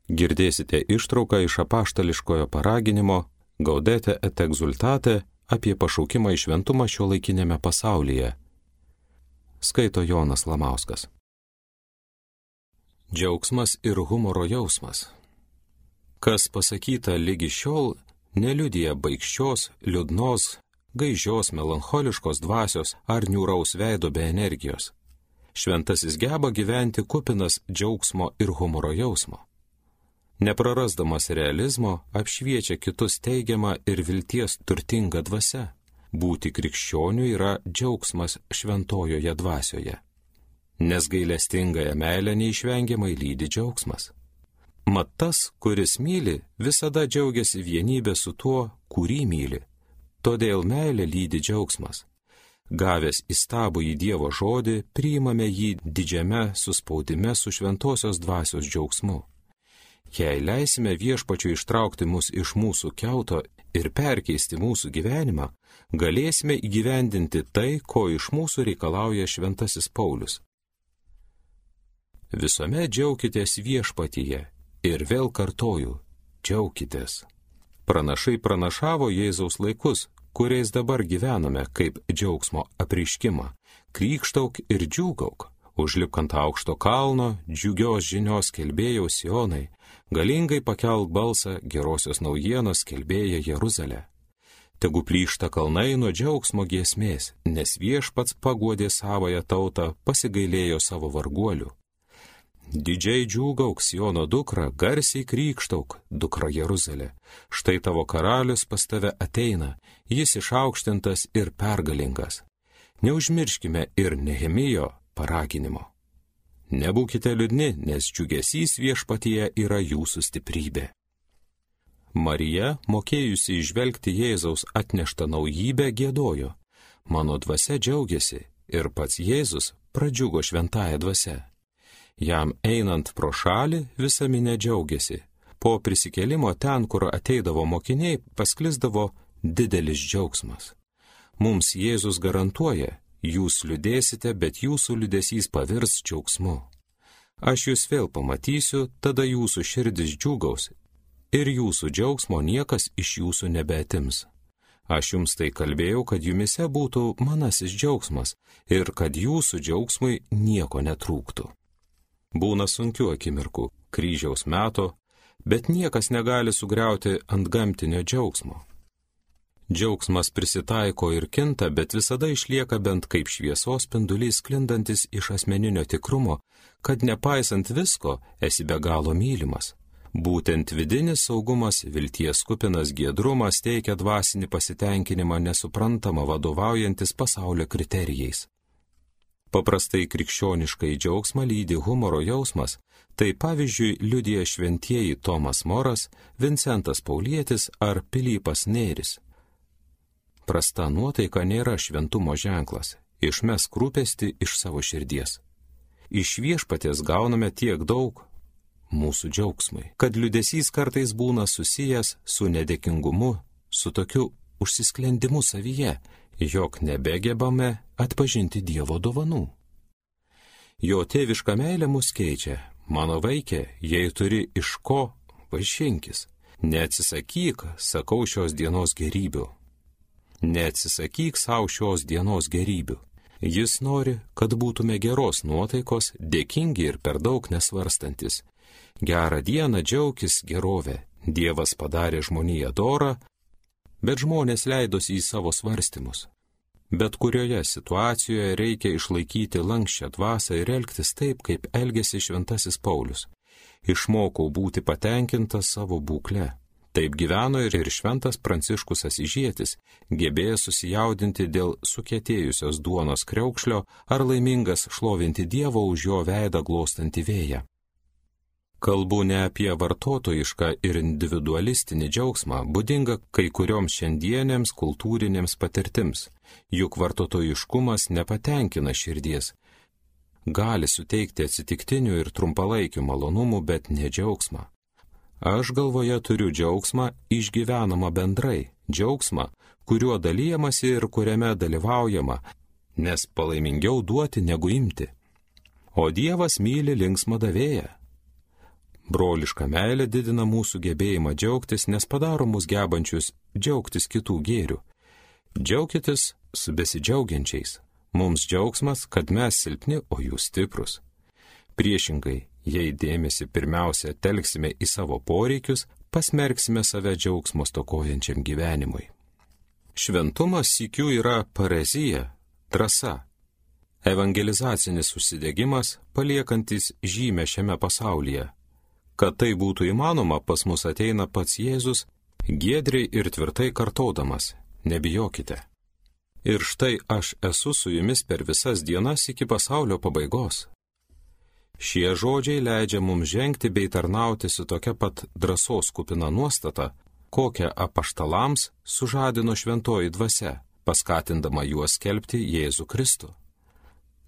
Girdėsite ištrauką iš apaštališkojo paraginimo Gaudete et exultate apie pašaukimą į šventumą šiuolaikinėme pasaulyje. Skaito Jonas Lamauskas. Džiaugsmas ir humoro jausmas. Kas pasakyta lygi šiol, neliudija baikščios, liūdnos, gaižios, melancholiškos dvasios ar niūraus veido be energijos. Šventasis geba gyventi kupinas džiaugsmo ir humoro jausmo. Neprarasdamas realizmo, apšviečia kitus teigiamą ir vilties turtingą dvasią. Būti krikščioniu yra džiaugsmas šventojoje dvasioje. Nes gailestingąją meilę neišvengiamai lydi džiaugsmas. Mat tas, kuris myli, visada džiaugiasi vienybė su tuo, kurį myli. Todėl meilė lydi džiaugsmas. Gavęs įstabų į Dievo žodį, priimame jį didžiame suspaudime su šventosios dvasios džiaugsmu. Jei leisime Viešpačiui ištraukti mus iš mūsų kiauto ir perkeisti mūsų gyvenimą, galėsime įgyvendinti tai, ko iš mūsų reikalauja šventasis Paulius. Visuomet džiaukitės Viešpatyje ir vėl kartoju, džiaukitės. Pranašai pranašavo Jėzaus laikus, kuriais dabar gyvename, kaip džiaugsmo apreiškimą. Krykštauk ir džiūgauk, užlipk ant aukšto kalno, džiugios žinios skelbėjau Sionai, galingai pakelk balsą gerosios naujienos skelbėja Jeruzalė. Tegu plyšta kalnai nuo džiaugsmo giesmės, nes Viešpats paguodė savąją tautą, pasigailėjo savo varguolių. Didžiai džiūgauk Siono dukra, garsiai krykštauk, dukra Jeruzalė. Štai tavo karalius pas tave ateina, jis išaukštintas ir pergalingas. Neužmirškime ir Nehemijo paraginimo. Nebūkite liūdni, nes džiugesys Viešpatyje yra jūsų stiprybė. Marija, mokėjusi įžvelgti Jėzaus atneštą naujybę, giedojo. Mano dvasia džiaugiasi ir pats Jėzus pradžiugo šventąja dvasia. Jam einant pro šalį visa minia džiaugiasi. Po prisikėlimo ten, kur ateidavo mokiniai, pasklisdavo didelis džiaugsmas. Mums Jėzus garantuoja, jūs liūdėsite, bet jūsų liūdesys pavirs džiaugsmu. Aš jūs vėl pamatysiu, tada jūsų širdis džiūgaus ir jūsų džiaugsmo niekas iš jūsų nebeatims. Aš jums tai kalbėjau, kad jumise būtų manasis džiaugsmas ir kad jūsų džiaugsmui nieko netrūktų. Būna sunkių akimirkų, kryžiaus meto, bet niekas negali sugriauti antgamtinio džiaugsmo. Džiaugsmas prisitaiko ir kinta, bet visada išlieka bent kaip šviesos spindulys sklindantis iš asmeninio tikrumo, kad nepaisant visko esi be galo mylimas. Būtent vidinis saugumas, vilties kupinas giedrumas teikia dvasinį pasitenkinimą nesuprantamą vadovaujantis pasaulio kriterijais. Paprastai krikščioniškai džiaugsmą lydi humoro jausmas, tai pavyzdžiui liudija šventieji Tomas Moras, Vincentas Paulietis ar Pilypas Nėris. Prasta nuotaika nėra šventumo ženklas, išmesk rūpestį iš savo širdies. Iš Viešpaties gauname tiek daug mūsų džiaugsmui, kad liūdesys kartais būna susijęs su nedėkingumu, su tokiu užsisklendimu savyje, jog nebegebame atpažinti Dievo dovanų. Jo tėviška meilė mus keičia. Mano vaikė, jei turi iš ko, vaišinkis. Neatsisakyk, sakau, šios dienos gerybių. Neatsisakyk savo šios dienos gerybių. Jis nori, kad būtume geros nuotaikos, dėkingi ir per daug nesvarstantis. Gerą dieną džiaukis gerovę. Dievas padarė žmoniją dorą, bet žmonės leidosi į savo svarstymus. Bet kurioje situacijoje reikia išlaikyti lanksčią dvasią ir elgtis taip, kaip elgėsi šventasis Paulius. Išmokau būti patenkintas savo būkle. Taip gyveno ir šventas Pranciškus Asyžietis, gebėjęs susijaudinti dėl sukietėjusios duonos kriaukšlio ar laimingas šlovinti Dievo už jo veidą glostantį vėją. Kalbu ne apie vartotojišką ir individualistinį džiaugsmą, būdingą kai kurioms šiandienėms kultūrinėms patirtims, juk vartotojiškumas nepatenkina širdies. Gali suteikti atsitiktinių ir trumpalaikių malonumų, bet ne džiaugsmą. Aš galvoje turiu džiaugsmą išgyvenamą bendrai, džiaugsmą, kuriuo dalyjamasi ir kuriame dalyvaujama, nes palaimingiau duoti negu imti. O Dievas myli linksmą davėją. Broliška meilė didina mūsų gebėjimą džiaugtis, nes padaro mus gebančius džiaugtis kitų gėrių. Džiaukitės su besidžiaugiančiais. Mums džiaugsmas, kad mes silpni, o jūs stiprus. Priešingai, jei dėmesį pirmiausia telksime į savo poreikius, pasmerksime save džiaugsmo stokojančiam gyvenimui. Šventumas sykiu yra parezija, drąsa. Evangelizacinis užsidegimas, paliekantis žymę šiame pasaulyje. Kad tai būtų įmanoma, pas mus ateina pats Jėzus, giedriai ir tvirtai kartodamas: nebijokite. Ir štai aš esu su jumis per visas dienas iki pasaulio pabaigos. Šie žodžiai leidžia mums žengti bei tarnauti su tokia pat drąsos kupina nuostata, kokią apaštalams sužadino šventoji dvasia, paskatindama juos skelbti Jėzų Kristų.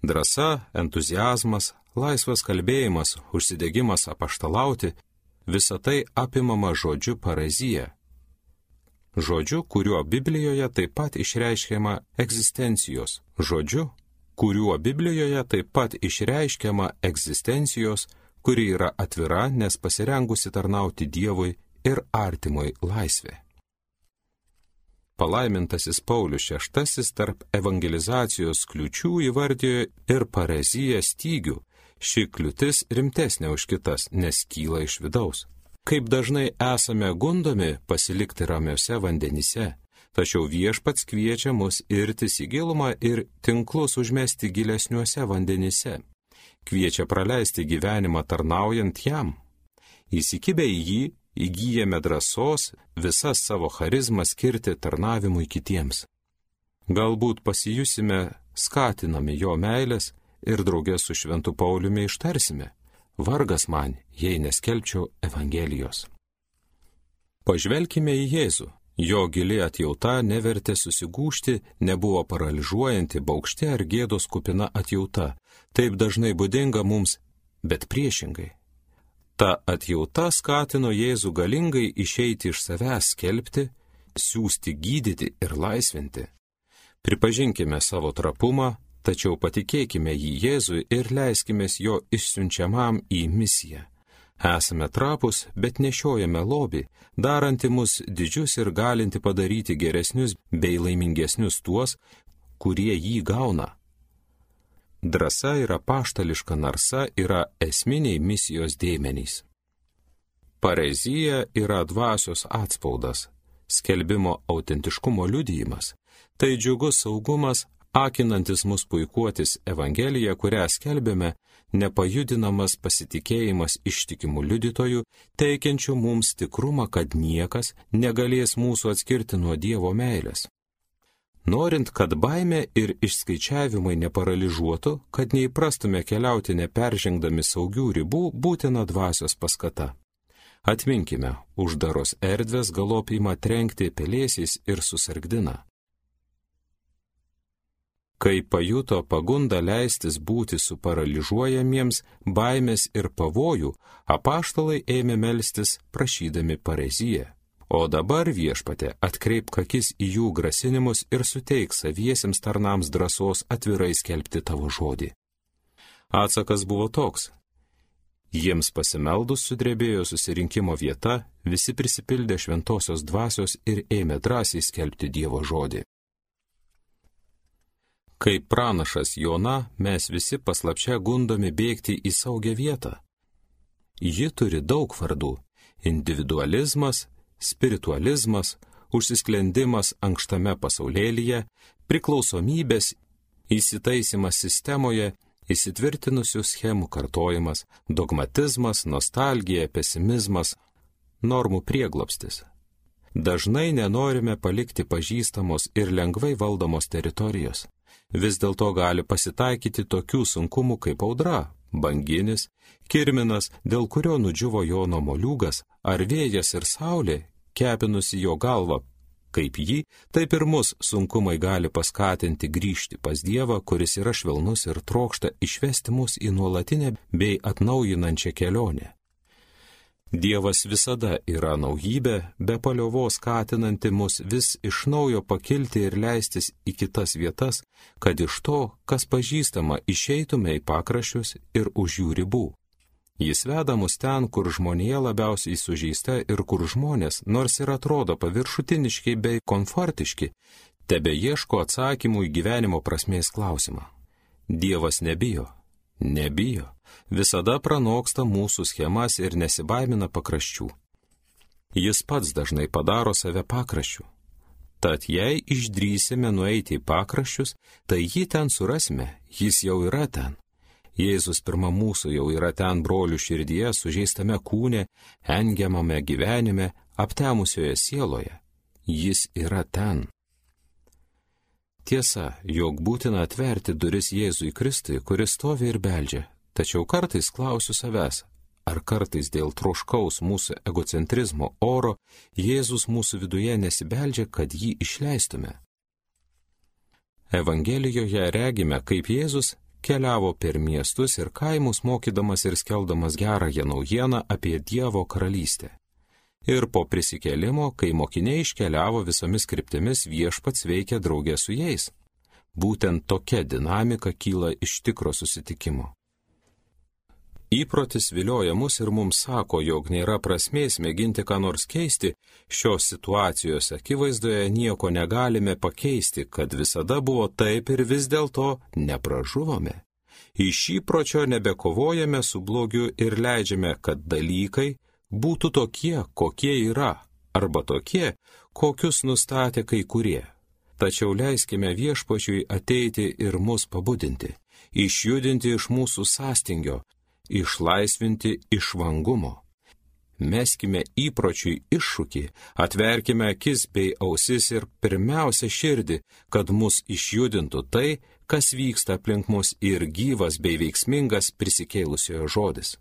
Drąsa, entuziazmas, laisvas kalbėjimas, užsidegimas apaštalauti – visa tai apimama žodžiu parezija. Žodžiu, kuriuo Biblijoje taip pat išreiškiama egzistencijos. Žodžiu, kuriuo Biblijoje taip pat išreiškiama egzistencijos, kuri yra atvira, nes pasirengusi tarnauti Dievui ir artimui laisvė. Palaimintasis Paulius VI tarp evangelizacijos kliūčių įvardijo ir pareziją stygių. Ši kliūtis rimtesnė už kitas, nes kyla iš vidaus. Kaip dažnai esame gundomi pasilikti ramiuose vandenyse, tačiau Viešpats kviečia mus irtis į gilumą ir tinklus užmesti gilesniuose vandenyse. Kviečia praleisti gyvenimą tarnaujant jam. Įsikibę į jį, įgyjame drąsos visas savo charizmą skirti tarnavimui kitiems. Galbūt pasijusime skatinami jo meilės ir draugė su šventu Pauliumi ištarsime: vargas man, jei neskelbčiau Evangelijos. Pažvelkime į Jėzų. Jo gili atjauta nevertė susigūžti, nebuvo paralyžiuojanti, baugšti ar gėdos kupina atjauta. Taip dažnai būdinga mums, bet priešingai. Ta atjauta skatino Jėzų galingai išeiti iš savęs, skelbti, siųsti, gydyti ir laisvinti. Pripažinkime savo trapumą, tačiau patikėkime jį Jėzui ir leiskimės jo išsiunčiamam į misiją. Esame trapus, bet nešiojame lobį, daranti mus didžius ir galinti padaryti geresnius bei laimingesnius tuos, kurie jį gauna. Drąsa ir apaštališka narsa yra esminiai misijos dėmenys. Parezija yra dvasios atspaudas, skelbimo autentiškumo liudijimas. Tai džiugus saugumas, akinantis mus puikuotis Evangeliją, kurią skelbėme, nepajudinamas pasitikėjimas ištikimų liudytojų, teikiančių mums tikrumą, kad niekas negalės mūsų atskirti nuo Dievo meilės. Norint, kad baimė ir išskaičiavimai neparalyžuotų, kad neįprastume keliauti neperžengdami saugių ribų, būtina dvasios paskata. Atminkime, uždaros erdvės galop ima trenkti pelėsiais ir susargdina. Kai pajuto pagundą leistis būti suparalyžiuojamiems baimės ir pavojų, apaštalai ėmė melstis prašydami pareziją. O dabar, Viešpatie, atkreipk akis į jų grasinimus ir suteik saviesiems tarnams drąsos atvirai skelbti tavo žodį. Atsakas buvo toks. Jiems pasimeldus sudrebėjo susirinkimo vieta, visi prisipildė šventosios dvasios ir ėmė drąsiai skelbti Dievo žodį. Kaip pranašas Jona, mes visi paslapčia gundomi bėgti į saugią vietą. Ji turi daug vardų – individualizmas, spiritualizmas, užsisklendimas ankštame pasaulėlyje, priklausomybės, įsitaisimas sistemoje, įsitvirtinusių schemų kartojimas, dogmatizmas, nostalgija, pesimizmas, normų prieglobstis. Dažnai nenorime palikti pažįstamos ir lengvai valdomos teritorijos. Vis dėlto gali pasitaikyti tokių sunkumų kaip audra, banginis, kirminas, dėl kurio nudžiuvo Jono moliūgas, ar vėjas ir saulė, kepinusi jo galvą, kaip jį, taip ir mus sunkumai gali paskatinti grįžti pas Dievą, kuris yra švelnus ir trokšta išvesti mus į nuolatinę bei atnaujinančią kelionę. Dievas visada yra naujybė, be paliovos skatinanti mus vis iš naujo pakilti ir leistis į kitas vietas, kad iš to, kas pažįstama, išeitume į pakraščius ir už jų ribų. Jis veda mus ten, kur žmonija labiausiai sužeista ir kur žmonės, nors ir atrodo paviršutiniški bei komfortiški, tebe ieško atsakymų į gyvenimo prasmės klausimą. Dievas nebijo, visada pranoksta mūsų schemas ir nesibaimina pakraščių. Jis pats dažnai padaro save pakraščių. Tad jei išdrysime nueiti į pakraščius, tai jį ten surasime, jis jau yra ten. Jėzus pirma mūsų jau yra ten brolių širdyje, sužeistame kūne, engiamame gyvenime, aptemusioje sieloje. Jis yra ten. Tiesa, jog būtina atverti duris Jėzui Kristui, kuris stovi ir beldžia, tačiau kartais klausiu savęs, ar kartais dėl troškaus mūsų egocentrizmo oro Jėzus mūsų viduje nesibeldžia, kad jį išleistume. Evangelijoje regime, kaip Jėzus keliavo per miestus ir kaimus, mokydamas ir skeldamas gerąją naujieną apie Dievo karalystę. Ir po prisikėlimo, kai mokiniai iškeliavo visomis kryptimis, Viešpats veikia draugė su jais. Būtent tokia dinamika kyla iš tikro susitikimo. Įprotis vilioja mus ir mums sako, jog nėra prasmės mėginti ką nors keisti, šios situacijos akivaizdoje nieko negalime pakeisti, kad visada buvo taip ir vis dėlto nepražuvome. Iš įpročio nebekovojame su blogiu ir leidžiame, kad dalykai būtų tokie, kokie yra, arba tokie, kokius nustatė kai kurie. Tačiau leiskime Viešpačiui ateiti ir mus pabudinti, išjudinti iš mūsų sąstingio, išlaisvinti iš vangumo. Meskime įpročiui iššūkį, atverkime akis bei ausis ir pirmiausia širdį, kad mus išjudintų tai, kas vyksta aplink mus ir gyvas bei veiksmingas prisikėlusiojo žodis.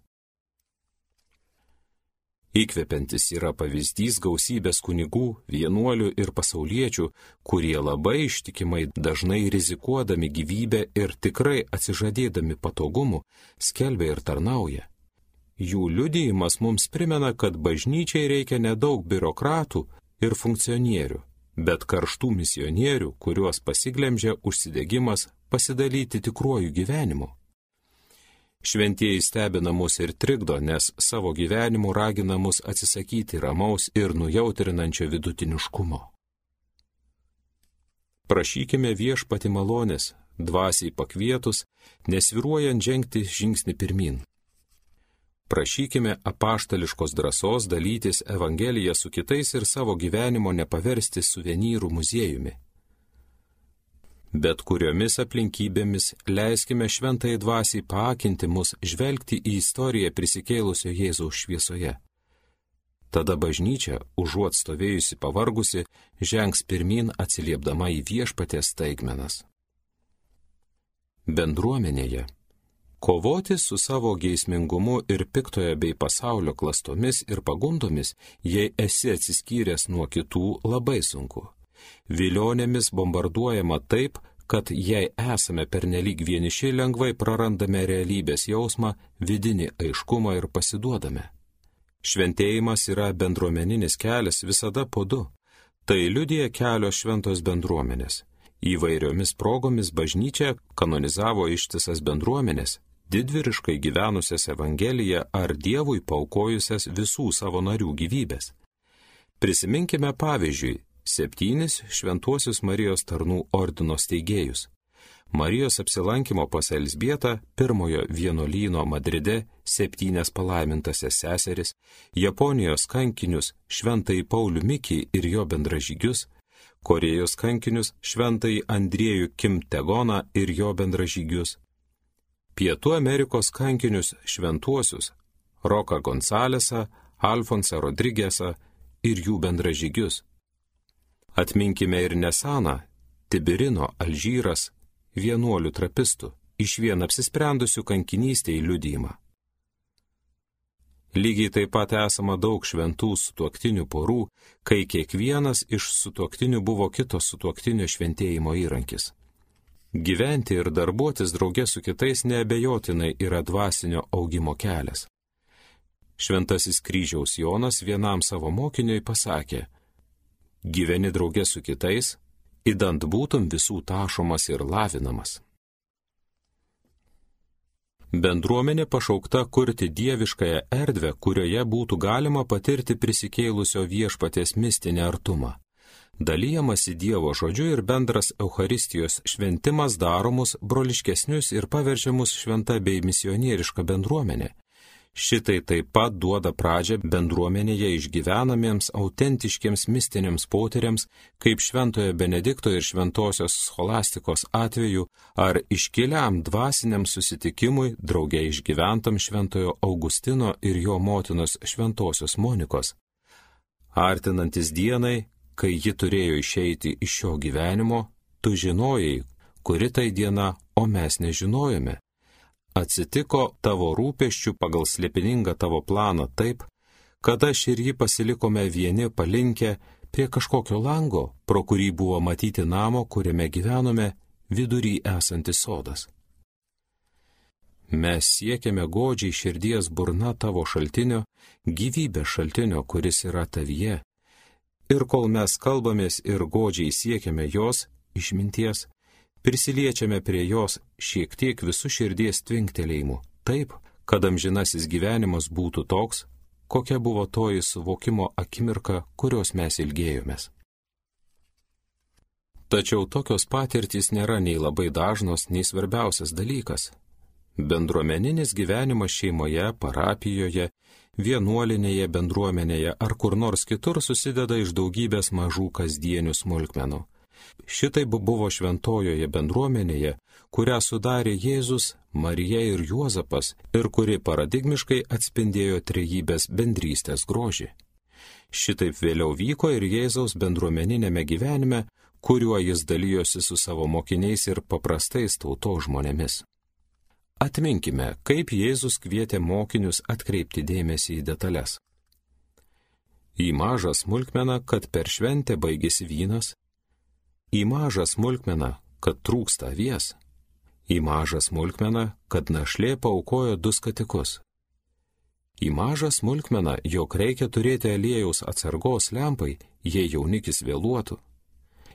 Įkvepiantis yra pavyzdys gausybės kunigų, vienuolių ir pasauliečių, kurie labai ištikimai, dažnai rizikuodami gyvybę ir tikrai atsižadėdami patogumų, skelbia ir tarnauja. Jų liudijimas mums primena, kad bažnyčiai reikia nedaug biurokratų ir funkcionierių, bet karštų misionierių, kuriuos pasiglemžia užsidegimas pasidalyti tikruoju gyvenimu. Šventieji stebina mus ir trikdo, nes savo gyvenimu ragina mus atsisakyti ramaus ir nujautrinančio vidutiniškumo. Prašykime Viešpatį malonės, dvasiai pakvietus, nesvyruojant žengti žingsnį pirmyn. Prašykime apaštališkos drąsos dalytis Evangeliją su kitais ir savo gyvenimo nepaversti suvenyrų muziejumi. Bet kuriomis aplinkybėmis leiskime šventai dvasiai paakinti mus žvelgti į istoriją prisikėlusio Jėzaus šviesoje. Tada bažnyčia, užuot stovėjusi pavargusi, žengs pirmyn atsiliepdama į Viešpaties staigmenas. Bendruomenėje. Kovoti su savo geismingumu ir piktojo bei pasaulio klastomis ir pagundomis, jei esi atsiskyręs nuo kitų, labai sunku. Vilionėmis bombarduojama taip, kad jei esame pernelyg vieniši, lengvai prarandame realybės jausmą, vidinį aiškumą ir pasiduodame. Šventėjimas yra bendruomeninis kelias visada po du. Tai liudija kelios šventos bendruomenės. Įvairiomis progomis bažnyčia kanonizavo ištisas bendruomenės, didvyriškai gyvenusias Evangeliją ar Dievui paaukojusias visų savo narių gyvybės. Prisiminkime pavyzdžiui 7 šventuosius Marijos tarnų ordino steigėjus. Marijos apsilankimo pas Elzbietą, pirmojo vienuolyno Madride 7 palaimintasias seseris, Japonijos kankinius šventąjį Paulių Mikį ir jo bendražygius, Korėjos kankinius šventąjį Andriejų Kim Tegoną ir jo bendražygius, Pietų Amerikos kankinius šventuosius Roką Gonsalesą, Alfonsą Rodrigesą ir jų bendražygius. Atminkime ir Nesaną, Tibirino, Alžyras, vienuolių trapistų, išvien apsisprendusių kankinystėje liudijimą. Lygiai taip pat esama daug šventų sutuoktinių porų, kai kiekvienas iš sutuoktinių buvo kito sutuoktinio šventėjimo įrankis. Gyventi ir darbuotis drauge su kitais neabejotinai yra dvasinio augimo kelias. Šventasis Kryžiaus Jonas vienam savo mokiniui pasakė: gyveni drauge su kitais, idant būtum visų tašomas ir lavinamas. Bendruomenė pašaukta kurti dieviškąją erdvę, kurioje būtų galima patirti prisikėlusio viešpaties mistinį artumą. Dalyjamasi Dievo žodžiu ir bendras Eucharistijos šventimas daro mus broliškesnius ir paverčia mus šventa bei misionieriška bendruomenė. Šitai taip pat duoda pradžią bendruomenėje išgyvenamiems autentiškiems mistiniams potyriams, kaip Šventojo Benedikto ir Šventosios Scholastikos atveju, ar iškiliam dvasiniam susitikimui drauge išgyventam Šventojo Augustino ir jo motinos Šventosios Monikos. Artinantis dienai, kai ji turėjo išeiti iš šio gyvenimo, tu žinojai, kuri tai diena, o mes nežinojome. Atsitiko tavo rūpesčių pagal slėpiningą tavo planą taip, kad aš ir ji pasilikome vieni palinkę prie kažkokio lango, pro kurį buvo matyti namo, kuriame gyvenome, vidury esantis sodas. Mes siekiame godžiai širdies burna tavo šaltinio, gyvybės šaltinio, kuris yra tavyje. Ir kol mes kalbamės ir godžiai siekiame jos, išminties, prisiliečiame prie jos šiek tiek visų širdies tvinktelėjimų, taip, kad amžinasis gyvenimas būtų toks, kokia buvo toji suvokimo akimirka, kurios mes ilgėjomės. Tačiau tokios patirtys nėra nei labai dažnos, nei svarbiausias dalykas. Bendruomeninis gyvenimas šeimoje, parapijoje, vienuolinėje bendruomenėje ar kur nors kitur susideda iš daugybės mažų kasdienių smulkmenų. Šitaip buvo šventojoje bendruomenėje, kurią sudarė Jėzus, Marija ir Juozapas ir kuri paradigmiškai atspindėjo trejybės bendrystės grožį. Šitaip vėliau vyko ir Jėzaus bendruomeninėme gyvenime, kuriuo jis dalijosi su savo mokiniais ir paprastais tautos žmonėmis. Atminkime, kaip Jėzus kvietė mokinius atkreipti dėmesį į detalės. Į mažą smulkmeną, kad per šventę baigėsi vynas, į mažą smulkmeną, kad trūksta avies, į mažą smulkmeną, kad našlė paaukojo 2 skatikus, į mažą smulkmeną, jog reikia turėti aliejaus atsargos lempai, jei jaunikis vėluotų,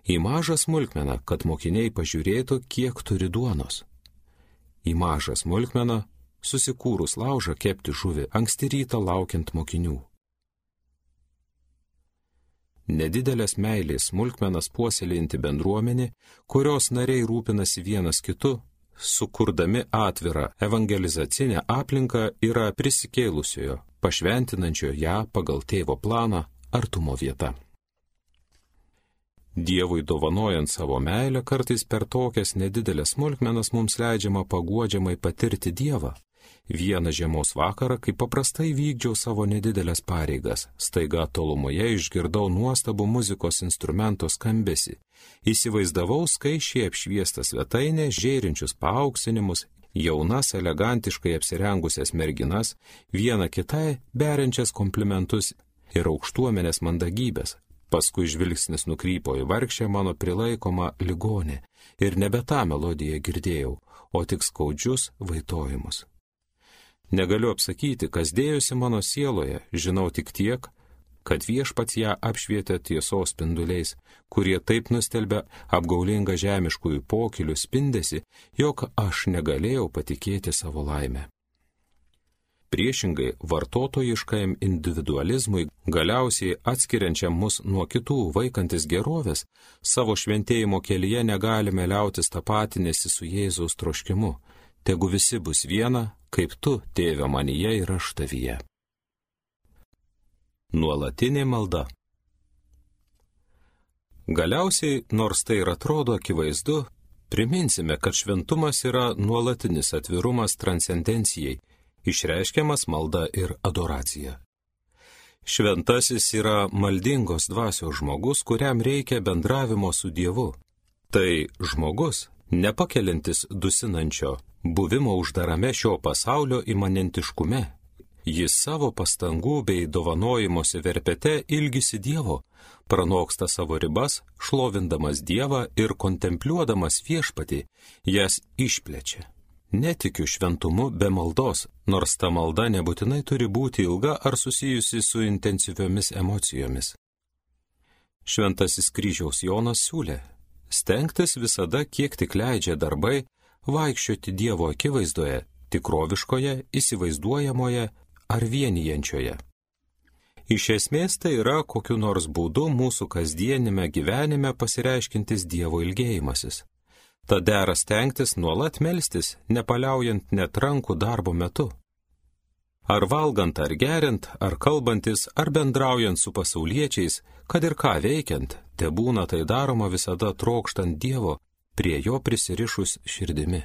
į mažą smulkmeną, kad mokiniai pažiūrėtų, kiek turi duonos, į mažą smulkmeną, susikūrus laužą kepti žuvį anksti rytą laukiant mokinių. Nedidelės meilės smulkmenas puoselėjanti bendruomenė, kurios nariai rūpinasi vienas kitu, sukurdami atvirą evangelizacinę aplinką, yra prisikėlusiojo, pašventinančio ją pagal tėvo planą artumo vieta. Dievui dovanojant savo meilę, kartais per tokias nedidelės smulkmenas mums leidžiama paguodžiamai patirti Dievą. Vieną žiemos vakarą, kai paprastai vykdžiau savo nedidelės pareigas, staiga tolumoje išgirdau nuostabų muzikos instrumento skambesį. Įsivaizdavau skaičiai apšviestą svetainę, žėrinčius paauksinimus, jaunas, elegantiškai apsirengusias merginas, viena kitai beriančias komplimentus ir aukštuomenės mandagybės. Paskui žvilgsnis nukrypo į vargšę mano prilaikomą ligonę ir nebe tą melodiją girdėjau, o tik skaudžius vaitojimus. Negaliu apsakyti, kas dėjosi mano sieloje, žinau tik tiek, kad viešpats ją apšvietė tiesos spinduliais, kurie taip nustelbė apgaulingą žemiškųjų pokylių spindesį, jog aš negalėjau patikėti savo laimę. Priešingai, vartotojiškajam individualizmui, galiausiai atskiriančiam mus nuo kitų vaikantis gerovės, savo šventėjimo kelyje negalime liautis tapatinėsi su Jėzaus troškimu. Tegu visi bus viena, kaip tu, tėve manyje ir aš tavyje. Nuolatinė malda. Galiausiai, nors tai ir atrodo akivaizdu, priminsime, kad šventumas yra nuolatinis atvirumas transcendencijai, išreiškiamas malda ir adoracija. Šventasis yra maldingos dvasios žmogus, kuriam reikia bendravimo su Dievu. Tai žmogus, nepakeliantis dusinančio, buvimo uždarame šio pasaulio imanentiškume. Jis savo pastangų bei dovanojimosi verpete ilgisi Dievo, pranoksta savo ribas, šlovindamas Dievą ir kontempliuodamas viešpatį, jas išplečia. Netikiu šventumu be maldos, nors ta malda nebūtinai turi būti ilga ar susijusi su intensyviomis emocijomis. Šventasis kryžiaus Jonas siūlė stengtis visada, kiek tik leidžia darbai, vaikščioti Dievo akivaizdoje, tikroviškoje, įsivaizduojamoje ar vienijančioje. Iš esmės tai yra kokiu nors būdu mūsų kasdienime gyvenime pasireiškintis Dievo ilgėjimasis. Tad dera stengtis nuolat melstis, nepaliaujant net rankų darbo metu. Ar valgant, ar geriant, ar kalbantis, ar bendraujant su pasauliečiais, kad ir ką veikiant, tebūna tai daroma visada trokštant Dievo, prie jo prisirišus širdimi.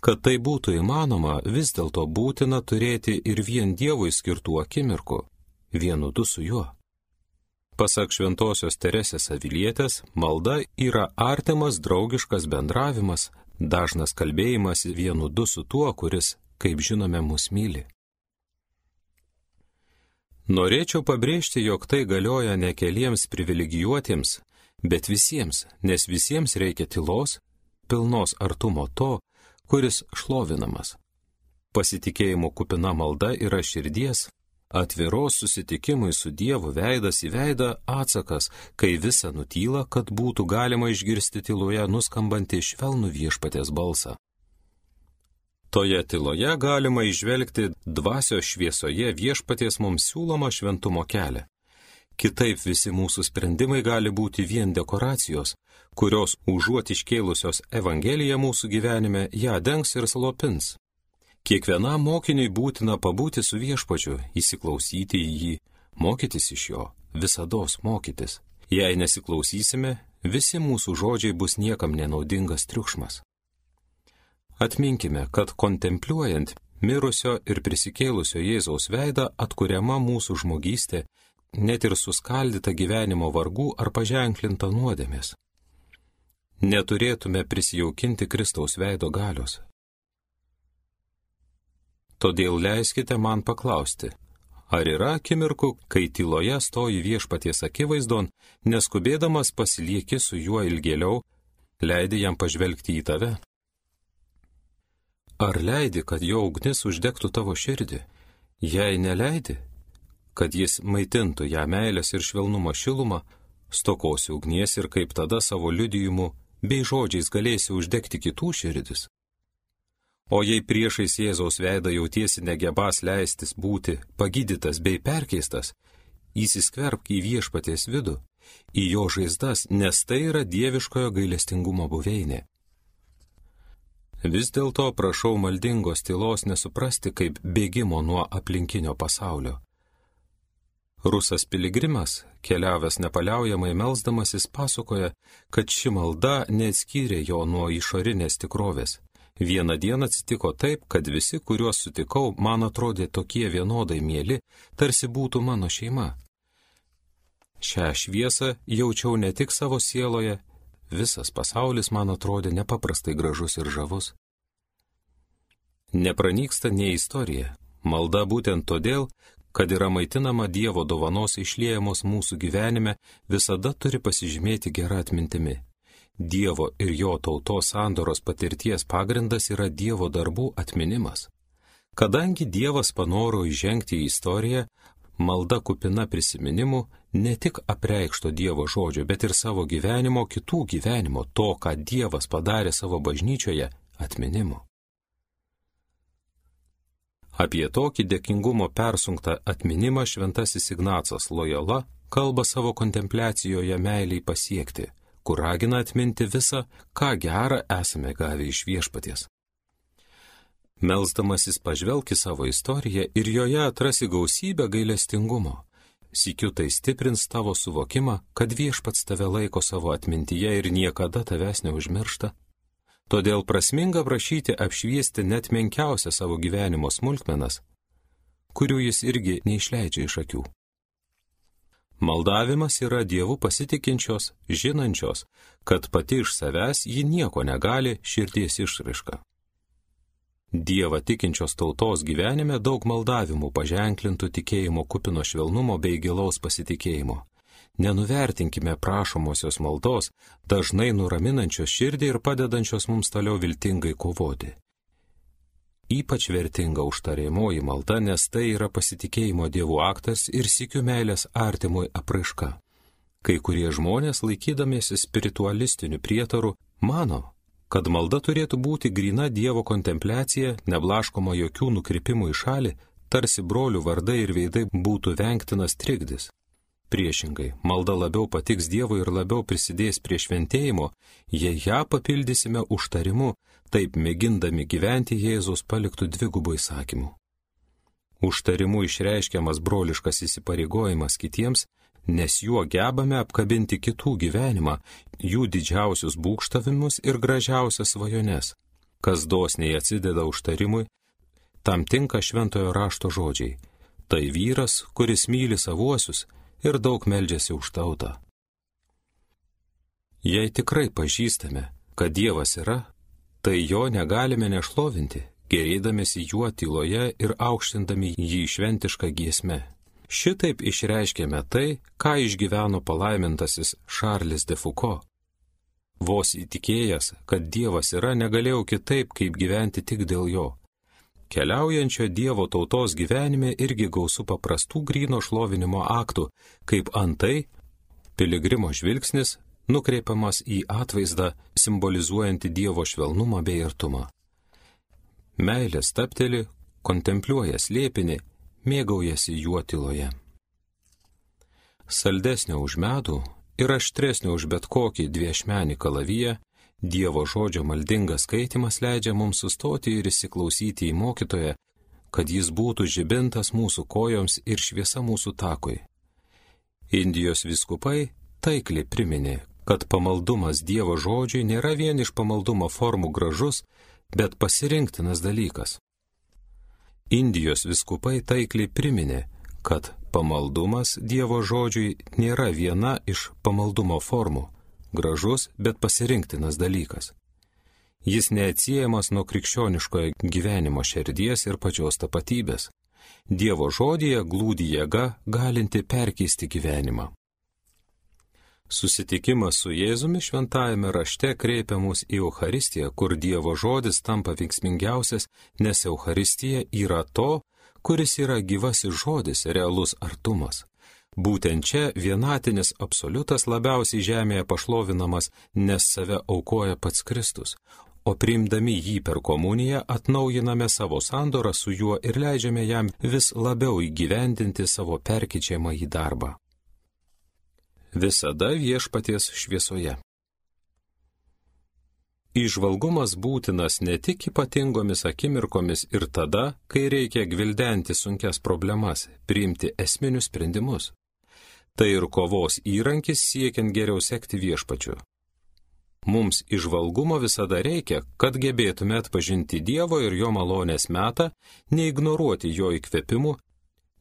Kad tai būtų įmanoma, vis dėlto būtina turėti ir vien Dievui skirtų akimirkų, vienudu su juo. Pasak šventosios Teresės Avilietės, malda yra artimas draugiškas bendravimas, dažnas kalbėjimas vienudu su tuo, kuris, kaip žinome, mus myli. Norėčiau pabrėžti, jog tai galioja ne keliems privilegijuotiems, bet visiems, nes visiems reikia tylos, pilnos artumo to, kuris šlovinamas. Pasitikėjimo kupina malda yra širdies, atviros susitikimui su Dievu veidas į veidą atsakas, kai visa nutyla, kad būtų galima išgirsti tyloje nuskambantį švelnų viešpaties balsą. Toje tyloje galima įžvelgti dvasios šviesoje viešpaties mums siūlomą šventumo kelią. Kitaip visi mūsų sprendimai gali būti vien dekoracijos, kurios užuot iškėlusios Evangeliją mūsų gyvenime, ją dengs ir slopins. Kiekvienam mokiniui būtina pabūti su viešpačiu, įsiklausyti į jį, mokytis iš jo, visados mokytis. Jei nesiklausysime, visi mūsų žodžiai bus niekam nenaudingas triukšmas. Atminkime, kad kontempliuojant mirusio ir prisikėlusio Jėzaus veidą atkuriama mūsų žmogystė, net ir suskaldyta gyvenimo vargų ar paženklinta nuodėmės. Neturėtume prisijaukinti Kristaus veido galios. Todėl leiskite man paklausti, ar yra akimirkų, kai tyloje stoji viešpaties akivaizdon, neskubėdamas pasilieki su juo ilgėliau, leidi jam pažvelgti į tave? Ar leidi, kad jo ugnis uždegtų tavo širdį? Jei neleidi, kad jis maitintų ją meilės ir švelnumo šilumą, stokosi ugnies ir kaip tada savo liudijimu bei žodžiais galėsi uždegti kitų širdis. O jei priešais Jėzaus veidą jautiesi negebas leistis būti pagydytas bei perkeistas, įsiskverbk į viešpaties vidų, į jo žaizdas, nes tai yra dieviškojo gailestingumo buveinė. Vis dėlto prašau maldingos tylos nesuprasti kaip bėgimo nuo aplinkinio pasaulio. Rusas piligrimas, keliavęs nepaliaujamai melsdamasis, pasakoja, kad ši malda neatskyrė jo nuo išorinės tikrovės. Vieną dieną atsitiko taip, kad visi, kuriuos sutikau, man atrodė tokie vienodai mieli, tarsi būtų mano šeima. Šią šviesą jaučiau ne tik savo sieloje, visas pasaulis man atrodė nepaprastai gražus ir žavus. Nepranyksta nei istorija, malda būtent todėl, kad yra maitinama Dievo dovanos išliejamos mūsų gyvenime, visada turi pasižymėti gerą atmintimi. Dievo ir jo tautos sandoros patirties pagrindas yra Dievo darbų atminimas. Kadangi Dievas panoro įžengti į istoriją, malda kupina prisiminimų ne tik apreikšto Dievo žodžio, bet ir savo gyvenimo, kitų gyvenimo, to, ką Dievas padarė savo bažnyčioje, atminimu. Apie tokį dėkingumo persunktą atminimą šventasis Ignacas Lojola kalba savo kontempliacijoje meiliai pasiekti, kur ragina atminti visą, ką gerą esame gavę iš viešpaties. Melsdamasis pažvelk į savo istoriją ir joje atrasi gausybę gailestingumo. Sykiu tai stiprins tavo suvokimą, kad viešpats tave laiko savo atmintyje ir niekada tavęs neužmiršta. Todėl prasminga prašyti apšviesti net menkiausią savo gyvenimo smulkmenas, kurių jis irgi neišleidžia iš akių. Maldavimas yra Dievu pasitikinčios, žinančios, kad pati iš savęs ji nieko negali širdies išraiška. Dievą tikinčios tautos gyvenime daug maldavimų paženklintų tikėjimo kupino švelnumo bei gilaus pasitikėjimo. Nenuvertinkime prašomosios maldos, dažnai nuraminančios širdį ir padedančios mums toliau viltingai kovoti. Ypač vertinga užtariamoji malda, nes tai yra pasitikėjimo Dievu aktas ir sykiu meilės artimui apraiška. Kai kurie žmonės, laikydamiesi spiritualistiniu prietaru, mano, kad malda turėtų būti gryna Dievo kontempliacija, neblaškoma jokių nukrypimų į šalį, tarsi brolių vardai ir veidai būtų vengtinas trikdis. Priešingai, malda labiau patiks Dievui ir labiau prisidės prie šventėjimo, jei ją papildysime užtarimu, taip mėgindami gyventi Jėzaus paliktų dvigubų įsakymų. Užtarimu išreiškiamas broliškas įsipareigojimas kitiems, nes juo gebame apkabinti kitų gyvenimą, jų didžiausius būgštavimus ir gražiausias svajones. Kas dosniai atsideda užtarimui, tam tinka šventojo rašto žodžiai. Tai vyras, kuris myli savuosius ir daug meldžiasi už tautą. Jei tikrai pažįstame, kad Dievas yra, tai jo negalime nešlovinti, gerėdamėsi juo tyloje ir aukštindami jį šventišką giesmę. Šitaip išreiškėme tai, ką išgyveno palaimintasis Šarlis de Foucault. Vos įtikėjęs, kad Dievas yra, negalėjau kitaip, kaip gyventi tik dėl jo. Keliaujančio Dievo tautos gyvenime irgi gausu paprastų gryno šlovinimo aktų, kaip antai piligrimo žvilgsnis nukreipiamas į atvaizdą, simbolizuojantį Dievo švelnumą bei artumą. Meilė stabteli, kontempliuoja slėpinį, mėgaujasi juo tyloje. Saldesnio už medų ir aštresnio už bet kokį dviešmenį kalaviją, Dievo žodžio maldingas skaitimas leidžia mums sustoti ir įsiklausyti į mokytoją, kad jis būtų žibintas mūsų kojoms ir šviesa mūsų takui. Indijos vyskupai taikliai priminė, kad pamaldumas Dievo žodžiui nėra vien iš pamaldumo formų gražus, bet pasirinktinas dalykas. Indijos vyskupai taikliai priminė, kad pamaldumas Dievo žodžiui nėra viena iš pamaldumo formų, gražus, bet pasirinktinas dalykas. Jis neatsiejamas nuo krikščioniškojo gyvenimo širdies ir pačios tapatybės. Dievo žodyje glūdi jėga, galinti perkeisti gyvenimą. Susitikimas su Jėzumi šventajame rašte kreipia mus į Eucharistiją, kur Dievo žodis tampa veiksmingiausias, nes Eucharistija yra to, kuris yra gyvasis žodis, realus artumas. Būtent čia vienatinis absoliutas labiausiai žemėje pašlovinamas, nes save aukoja pats Kristus, o priimdami jį per komuniją atnaujiname savo sandorą su juo ir leidžiame jam vis labiau įgyvendinti savo perkeičiamą į darbą. Visada viešpaties šviesoje. Įžvalgumas būtinas ne tik ypatingomis akimirkomis ir tada, kai reikia gvildenti sunkias problemas, priimti esminius sprendimus. Tai ir kovos įrankis siekiant geriau sekti viešpačiu. Mums įžvalgumo visada reikia, kad gebėtume atpažinti Dievo ir jo malonės metą, neignoruoti jo įkvėpimų,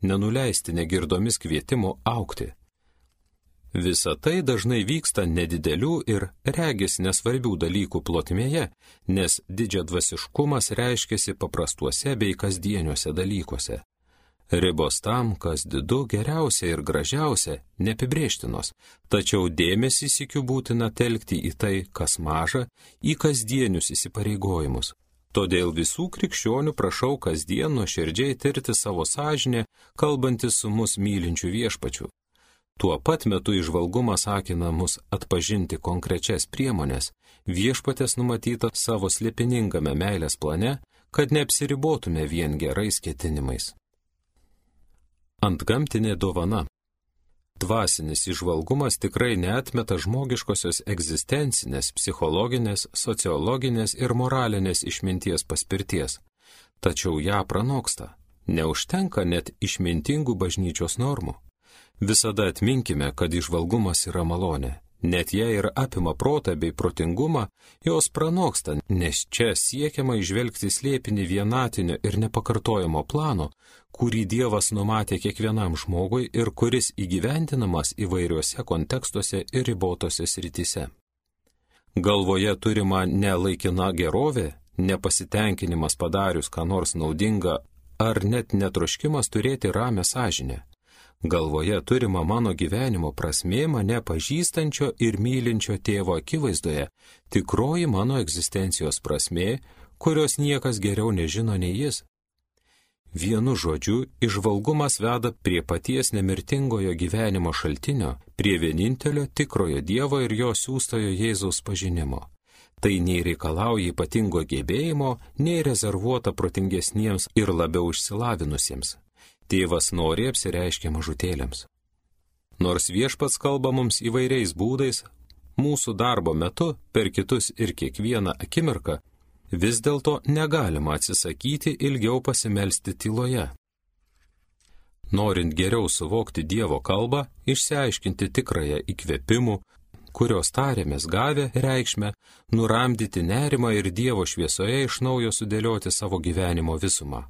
nenuleisti negirdomis kvietimų augti. Visa tai dažnai vyksta nedidelių ir regis nesvarbių dalykų plotmėje, nes didžiadvasiškumas reiškiasi paprastuose bei kasdieniuose dalykuose. Ribos tam, kas didu, geriausia ir gražiausia, neapibrėžtinos, tačiau dėmesį sykiu būtina telkti į tai, kas maža, į kasdienius įsipareigojimus. Todėl visų krikščionių prašau kasdien nuoširdžiai tirti savo sąžinę, kalbantis su mus mylinčiu viešpačiu. Tuo pat metu įžvalgumas akina mus atpažinti konkrečias priemonės, viešpatės numatyta savo slėpiningame meilės plane, kad neapsiribotume vien gerais ketinimais. Antgamtinė dovana. Dvasinis įžvalgumas tikrai neatmeta žmogiškosios egzistencinės, psichologinės, sociologinės ir moralinės išminties paspirties, tačiau ją pranoksta. Neužtenka net išmintingų bažnyčios normų. Visada atminkime, kad įžvalgumas yra malonė. Net jei ir apima protą bei protingumą, jos pranoksta, nes čia siekiama įžvelgti slėpinį vienatinio ir nepakartojamo plano, kurį Dievas numatė kiekvienam žmogui ir kuris įgyvendinamas įvairiuose kontekstuose ir ribotose srityse. Galvoje turima ne laikina gerovė, nepasitenkinimas padarius ką nors naudinga ar net netroškimas turėti ramią sąžinę. Galvoje turima mano gyvenimo prasmė mane pažįstančio ir mylinčio tėvo akivaizdoje, tikroji mano egzistencijos prasmė, kurios niekas geriau nežino nei jis. Vienu žodžiu, įžvalgumas veda prie paties nemirtingojo gyvenimo šaltinio, prie vienintelio tikrojo Dievo ir jo siųstojo Jėzaus pažinimo. Tai nei reikalauja ypatingo gebėjimo, nei rezervuota protingesniems ir labiau išsilavinusiems. Tėvas nori apsireiškia mažutėliams. Nors Viešpats kalba mums įvairiais būdais, mūsų darbo metu, per kitus ir kiekvieną akimirką, vis dėlto negalima atsisakyti ilgiau pasimelsti tyloje. Norint geriau suvokti Dievo kalbą, išsiaiškinti tikrąją įkvėpimų, kurios tarėmės gavę reikšmę, nuramdyti nerimą ir Dievo šviesoje iš naujo sudėlioti savo gyvenimo visumą.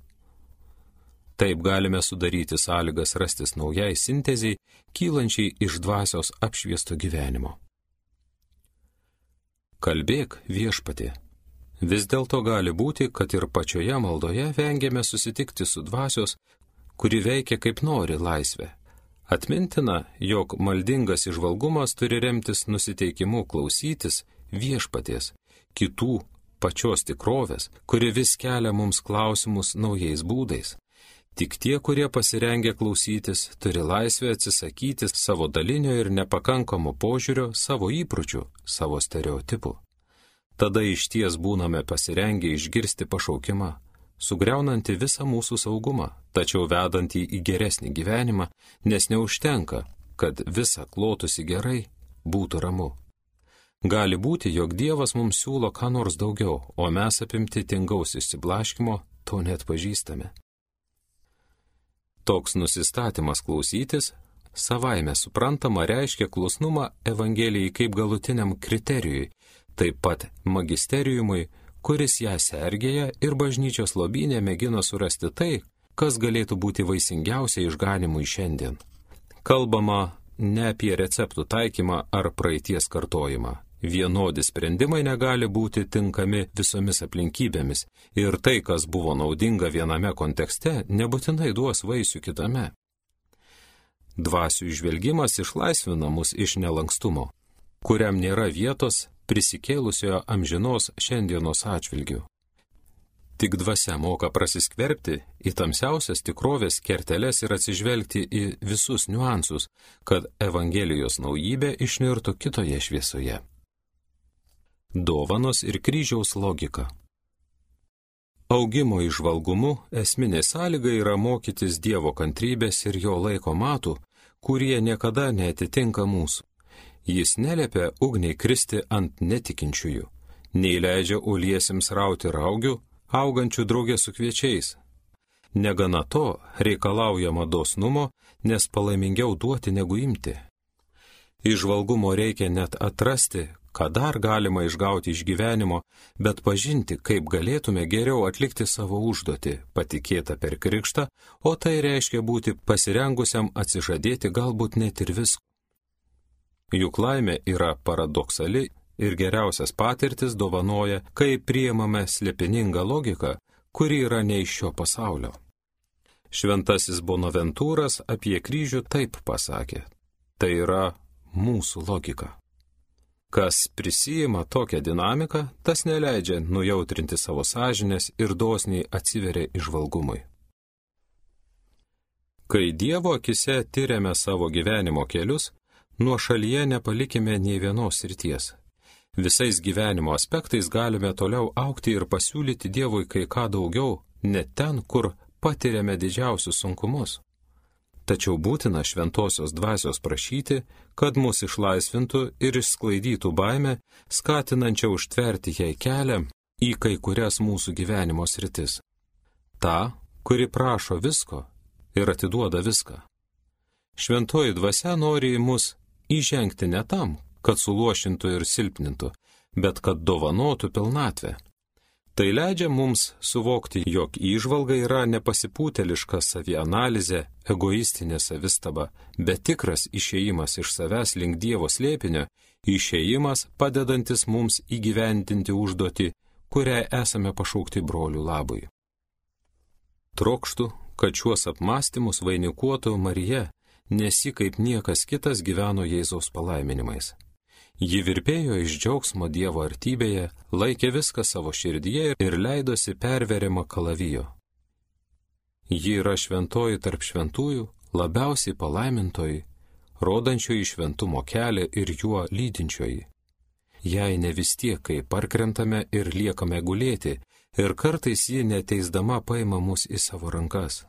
Taip galime sudaryti sąlygas rastis naujai sintezei, kylančiai iš dvasios apšviesto gyvenimo. Kalbėk, Viešpatie. Vis dėlto gali būti, kad ir pačioje maldoje vengiame susitikti su dvasios, kuri veikia kaip nori laisvę. Atmintina, jog maldingas įžvalgumas turi remtis nusiteikimu klausytis Viešpaties, kitų pačios tikrovės, kuri vis kelia mums klausimus naujais būdais. Tik tie, kurie pasirengę klausytis, turi laisvę atsisakyti savo dalinio ir nepakankamo požiūrio, savo įpročių, savo stereotipų. Tada išties būname pasirengę išgirsti pašaukimą, sugriaunantį visą mūsų saugumą, tačiau vedantį į geresnį gyvenimą, nes neužtenka, kad visa klotusi gerai, būtų ramu. Gali būti, jog Dievas mums siūlo ką nors daugiau, o mes apimti tingaus išsiblaškimo to net pažįstame. Toks nusistatymas klausytis savaime suprantama reiškia klusnumą Evangelijai kaip galutiniam kriterijui, taip pat magisteriumui, kuris ją sergėja ir bažnyčios lobyne mėgina surasti tai, kas galėtų būti vaisingiausia išganimui šiandien. Kalbama ne apie receptų taikymą ar praeities kartojimą. Vienodi sprendimai negali būti tinkami visomis aplinkybėmis ir tai, kas buvo naudinga viename kontekste, nebūtinai duos vaisių kitame. Dvasių įžvelgimas išlaisvina mus iš nelankstumo, kuriam nėra vietos prisikėlusiojo amžinos šiandienos atžvilgių. Tik dvasia moka prasiskverbti į tamsiausias tikrovės kerteles ir atsižvelgti į visus niuansus, kad Evangelijos naujybė išnirtų kitoje šviesoje. Dovanos ir kryžiaus logika. Augimo įžvalgumu esminė sąlyga yra mokytis Dievo kantrybės ir jo laiko matų, kurie niekada neatitinka mūsų. Jis neliepia ugniai kristi ant netikinčiųjų, nei leidžia uliesiems rauti raugių, augančių draugė su kviečiais. Negana to, reikalaujama dosnumo, nes palaimingiau duoti negu imti. Įžvalgumo reikia net atrasti, ką dar galima išgauti iš gyvenimo, bet pažinti, kaip galėtume geriau atlikti savo užduotį, patikėtą per krikštą, o tai reiškia būti pasirengusiam atsižadėti galbūt net ir visko. Juk laimė yra paradoksali ir geriausias patirtis dovanoja, kai priimame slėpiningą logiką, kuri yra ne iš šio pasaulio. Šventasis Bonaventūras apie kryžių taip pasakė: tai yra mūsų logika. Kas prisijima tokią dinamiką, tas neleidžia nujautrinti savo sąžinės ir dosniai atsiveria įžvalgumui. Kai Dievo akise tyriame savo gyvenimo kelius, nuošalyje nepalikime nei vienos srities. Visais gyvenimo aspektais galime toliau augti ir pasiūlyti Dievui kai ką daugiau, net ten, kur patiriame didžiausius sunkumus. Tačiau būtina šventosios dvasios prašyti, kad mus išlaisvintų ir išsklaidytų baimę, skatinančią užtverti jai kelią į kai kurias mūsų gyvenimo sritis. Ta, kuri prašo visko ir atiduoda viską. Šventoji dvasia nori į mus įžengti ne tam, kad suluošintų ir silpnintų, bet kad dovanotų pilnatvę. Tai leidžia mums suvokti, jog įžvalga yra nepasipūteliška savianalizė, egoistinė savistaba, bet tikras išėjimas iš savęs link Dievo slėpinio, išėjimas padedantis mums įgyvendinti užduotį, kuriai esame pašaukti brolių labui. Trokštu, kad šiuos apmąstymus vainikuotų Marija, nes ji kaip niekas kitas gyveno Jėzaus palaiminimais. Ji virpėjo iš džiaugsmo Dievo artybėje, laikė viską savo širdyje ir leidosi perveriama kalavijo. Ji yra šventoji tarp šventųjų, labiausiai palaimintoji, rodančioji šventumo kelią ir juo lydinčioji. jei ne vis tiek, kai parkrentame ir liekame gulėti, ir kartais ji neteisdama paima mus į savo rankas.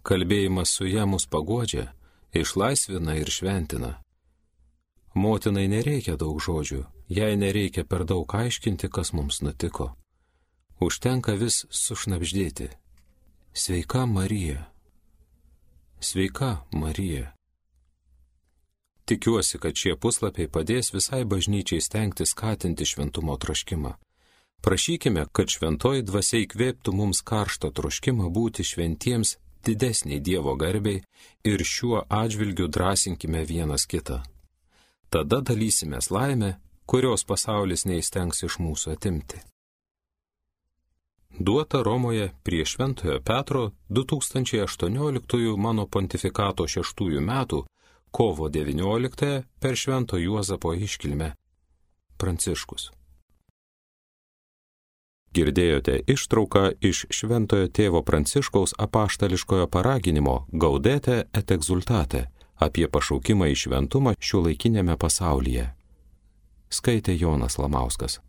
Kalbėjimas su ja mus paguodžia, išlaisvina ir šventina. Motinai nereikia daug žodžių, jai nereikia per daug aiškinti, kas mums nutiko. Užtenka vis sušnabždėti. Sveika Marija. Sveika Marija. Tikiuosi, kad šie puslapiai padės visai bažnyčiai stengtis skatinti šventumo troškimą. Prašykime, kad šventoji dvasia įkvėptų mums karštą troškimą būti šventiems didesniai Dievo garbei ir šiuo atžvilgiu drąsinkime vienas kitą. Tada dalysimės laimę, kurios pasaulis neįstengs iš mūsų atimti. Duota Romoje prie Šventojo Petro 2018 mano pontifikato 6 metų kovo 19 per Švento Juozapo iškilmę. Pranciškus. Girdėjote ištrauką iš Šventojo tėvo Pranciškaus apaštališkojo paraginimo Gaudete et exultate apie pašaukimą į šventumą šiuolaikinėme pasaulyje. Skaitė Jonas Lamauskas.